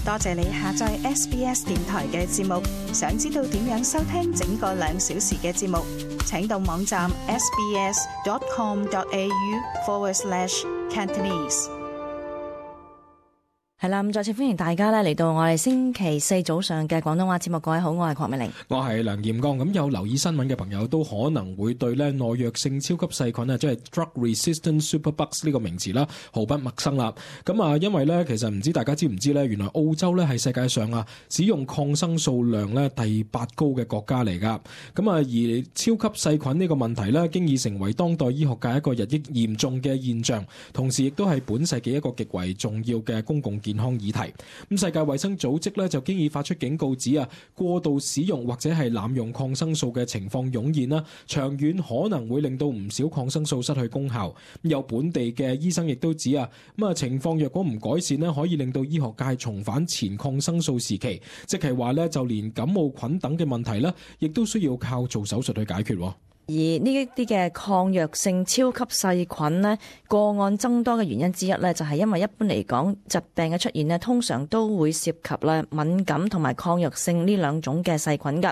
多謝你下載 SBS 電台嘅節目。想知道點樣收聽整個2小時嘅節目，請到網站 sbs.com.au/Cantonese。係啦，咁再次歡迎大家咧嚟到我哋星期四早上嘅廣東話節目。各位好，我係鄺美玲，我係梁彥剛。咁有留意新聞嘅朋友都可能會對咧耐藥性超級細菌啊，即係 drug-resistant superbugs 呢個名詞啦，毫不陌生啦。咁啊，因為咧其實唔知大家知唔知咧，原來澳洲咧係世界上啊使用抗生素量咧第8高嘅國家嚟噶。咁啊，而超級細菌呢個問題咧，經已成為當代醫學界一個日益嚴重嘅現象，同時亦都係本世紀一個極為重要嘅公共健康議題。咁世界衛生組織咧就經已發出警告，指啊過度使用或者係濫用抗生素嘅情況湧現啦，長遠可能會令到唔少抗生素失去功效。有本地嘅醫生亦都指啊，情況若果唔改善咧，可以令到醫學界重返前抗生素時期，即係話咧就連感冒菌等嘅問題咧，亦都需要靠做手術去解決。而呢一啲嘅抗藥性超級細菌呢，個案增多嘅原因之一呢，就係因為一般嚟講，疾病嘅出現呢，通常都會涉及咧敏感同埋抗藥性呢兩種嘅細菌㗎。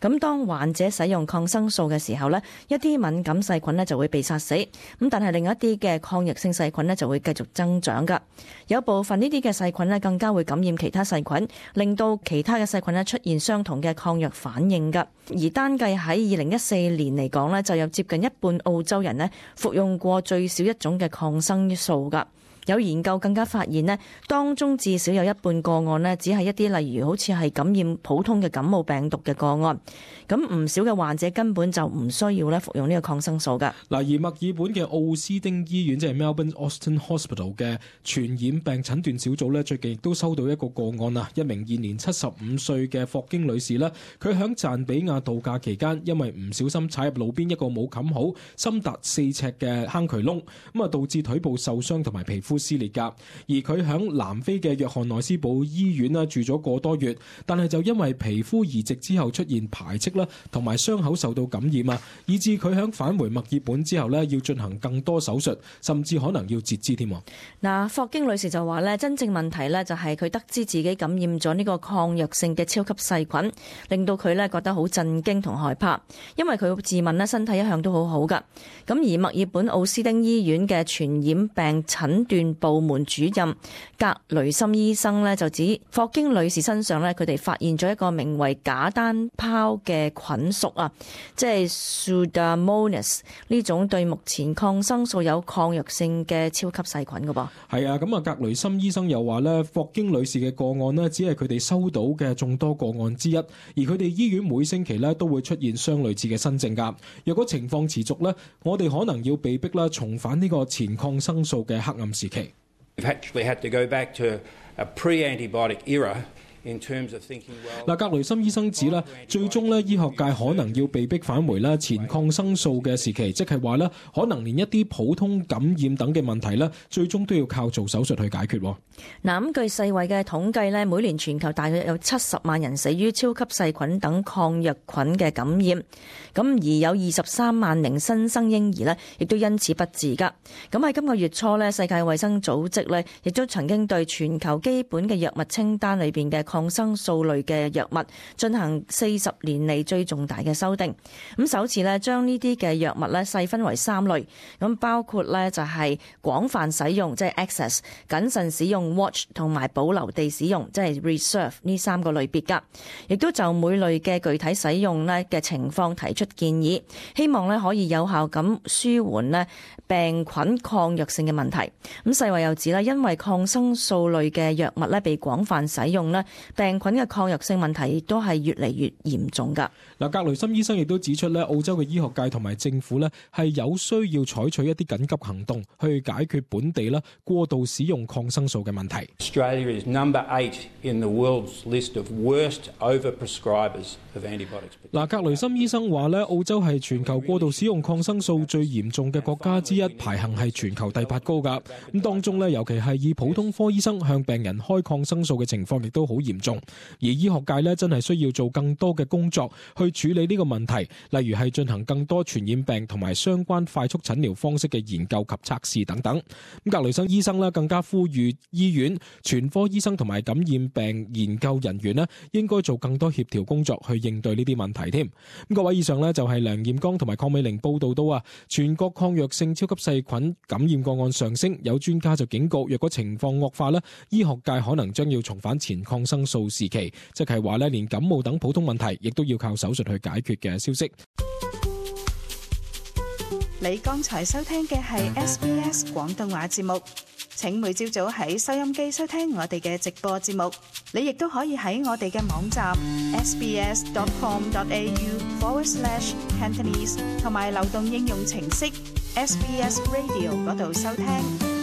咁當患者使用抗生素嘅時候呢，一啲敏感細菌呢就會被殺死，咁但係另一啲嘅抗藥性細菌呢就會繼續增長㗎。有部分呢啲嘅細菌呢更加會感染其他細菌，令到其他嘅細菌呢出現相同嘅抗藥反應㗎。而單計喺2014年嚟講呢，就有接近一半澳洲人呢服用過最少一種嘅抗生素㗎。有研究更加發現呢，當中至少有一半個案呢，只係一啲例如好似係感染普通嘅感冒病毒嘅個案。咁唔少嘅患者根本就唔需要咧服用呢個抗生素㗎。嗱，而墨爾本嘅奧斯丁醫院即係 Melbourne Austin Hospital 嘅傳染病診斷小組咧，最近亦都收到一個個案啊，一名現年75歲嘅霍京女士咧，佢響贊比亞度假期間，因為唔小心踩入路邊一個冇冚好、深達4尺嘅坑渠窿，咁啊導致腿部受傷同埋皮膚撕裂㗎。而佢響南非嘅約翰內斯堡醫院啦住咗個多月，但係就因為皮膚移植之後出現排斥啦，同埋傷口受到感染啊，以致佢響返回墨爾本之後咧，要進行更多手術，甚至可能要截肢添。嗱，霍京女士就話咧，真正問題咧就係佢得知自己感染咗呢個抗藥性嘅超級細菌，令到佢咧覺得好震驚同害怕，因為佢自問咧身體一向都好好噶。咁而墨爾本奧斯丁醫院嘅傳染病診斷部門主任格雷森醫生咧就指，霍京女士身上咧佢哋發現咗一個名為假單胞嘅菌屬啊，即係 Pseudomonas 呢種對目前抗生素有抗藥性嘅超級細菌噶噃。係啊，咁啊格雷森醫生又話咧，霍京女士嘅個案呢，只係佢哋收到嘅眾多個案之一，而佢哋醫院每星期咧都會出現相類似嘅新症噶。若果情況持續咧，我哋可能要被逼啦重返呢個前抗生素嘅黑暗時期。We've actually had to go back to a pre-antibiotic era in terms of thinking well。格雷森醫生指咧，最終咧醫學界可能要被逼返回咧前抗生素嘅時期，即係話咧可能連一啲普通感染等嘅問題咧，最終都要靠做手術去解決。嗱，咁據世衛嘅統計咧，每年全球大約有70萬人死於超級細菌等抗藥菌嘅感染，咁而有23萬名新生嬰兒咧，亦都因此不治噶。咁喺今個月初咧，世界衛生組織咧，亦都曾經對全球基本嘅藥物清單裏邊嘅抗生素類嘅藥物進行40年嚟最重大嘅修訂。咁首次咧將呢啲嘅藥物咧細分為3類，咁包括咧就係廣泛使用，即係 access， 謹慎使用 watch 同埋保留地使用，即係 reserve 呢3個類別噶，亦都就每類嘅具體使用咧嘅情況提出建議，希望咧可以有效咁舒緩咧病菌抗藥性嘅問題。咁世衛又指咧，因為抗生素類嘅藥物咧被廣泛使用咧，病菌嘅抗藥性問題亦都係越嚟越嚴重噶。嗱，格雷森醫生亦都指出咧，澳洲嘅醫學界同埋政府咧係有需要採取一啲緊急行動去解決本地啦過度使用抗生素嘅問題。Australia is number 8 in the world's list of worst overprescribers of antibiotics。嗱，格雷森醫生話咧，澳洲係全球過度使用抗生素最嚴重嘅國家之一，排行係全球第8高噶。咁當中咧，尤其係以普通科醫生向病人開抗生素嘅情況，亦都好嚴嚴重，而醫學界呢真係需要做更多嘅工作去處理呢個問題，例如係進行更多傳染病同埋相關快速診療方式嘅研究及測試等等。咁格雷森醫生呢更加呼籲醫院、全科醫生同埋感染病研究人員呢應該做更多協調工作去應對呢啲問題添。咁各位，以上呢就係梁彥剛同埋鄺美玲報道到啊，全國抗藥性超級細菌感染個案上升，有專家就警告，若果情況惡化呢，醫學界可能將要重返前抗生素時期，即係話呢連感冒等普通問題亦都要靠手術去解決嘅消息。你剛才收聽嘅係 SBS 廣東話節目，請每朝早喺收音機收聽我哋嘅直播節目。你亦都可以喺我哋嘅網站 sbs.com.au/Cantonese 同埋流動應用程式 SBS Radio 嗰度收聽。